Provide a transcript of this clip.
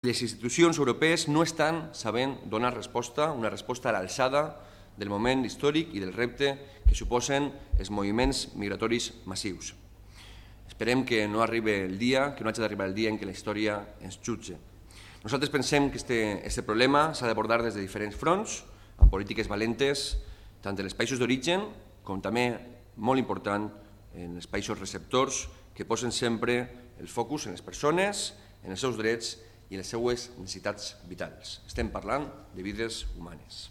Les institucions europees no estan sabent donar resposta, una resposta a l'alçada del moment històric i del repte que suposen els moviments migratoris massius. Esperem que no arribi el dia, que no hagi d'arribar el dia en què la història ens jutge. Nosaltres pensem que aquest problema s'ha d'abordar des de diferents fronts, amb polítiques valentes, tant en els països d'origen com també, molt important, en els països receptors, que posen sempre el focus en les persones, en els seus drets i en les seues necessitats vitals. Estem parlant de vides humanes.